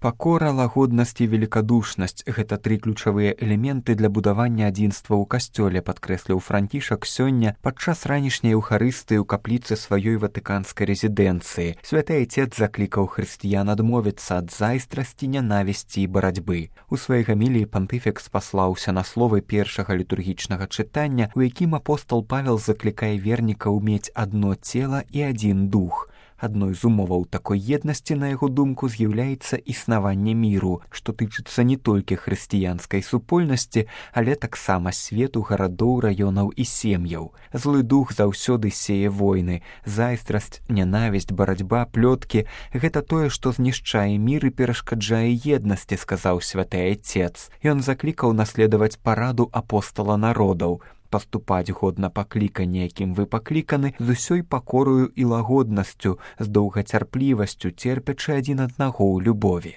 Пакора, лагоднасць і велікадушнасць – гэта тры ключавыя элементы для будавання адзінства ў касцёле, падкрэсліў Францішак сёння падчас ранішняй еўхарыстыі ў капліцы сваёй ватыканскай рэзідэнцыі. Святы Айцец заклікаў хрысціян адмовіцца ад зайздрасці, нянавісці і барацьбы. У сваёй гаміліі пантыфік спаслаўся на словы першага літургічнага чытання, у якім апостол Павел заклікае вернікаў мець адно цела і адзін дух. Адной з умоваў такой еднасці, на яго думку, з'яўляецца існаванне міру, што тычыцца не толькі хрысціянскай супольнасці, але таксама свету, гарадоў, раёнаў і сем'яў. Злы дух заўсёды сее войны. Зайздрасць, нянавісць, барацьба, плёткі – гэта тое, што знішчае мір і перашкаджае еднасці, сказаў святы Айцец. Ён заклікаў наследаваць параду апостола народаў, паступаць годна паклікання, якім вы пакліканы, з усёй пакорою і лагоднасцю, з доўгацярплівасцю, церпячы адзін аднаго ў любові.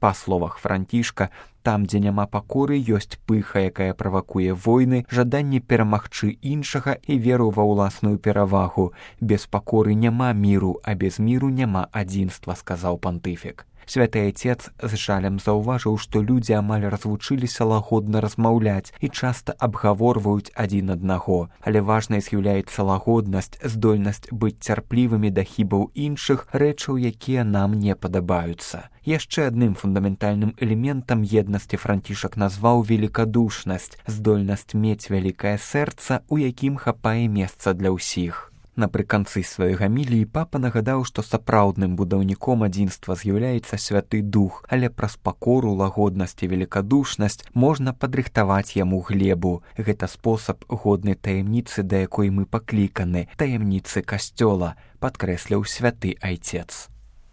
Па словах Францішка, там, дзе няма пакоры, ёсць пыха, якая правакуе войны, жаданне перамагчы іншага і веру ва ўласную перавагу. Без пакоры няма міру, а без міру няма адзінства, сказаў пантыфік. Святы Айцец з жалем заўважыў, што людзі амаль развучыліся лагодна размаўляць і часта абгаворваюць адзін аднаго. Але важнай з'яўляецца лагоднасць, здольнасць быць цярплівымі да хібаў іншых, рэчаў, якія нам не падабаюцца. Яшчэ адным фундаментальным элементам еднасці Францішак назваў велікадушнасць, здольнасць мець вялікае сэрца, у якім хапае месца для ўсіх. Напрыканцы сваёй гаміліі папа нагадаў, што сапраўдным будаўніком адзінства з'яўляецца святы дух, але праз пакору, лагоднасць і велікадушнасць можна падрыхтаваць яму глебу. Гэта спосаб годны таямніцы, да якой мы пакліканы, таямніцы касцёла, падкрэсліў святы Айцец.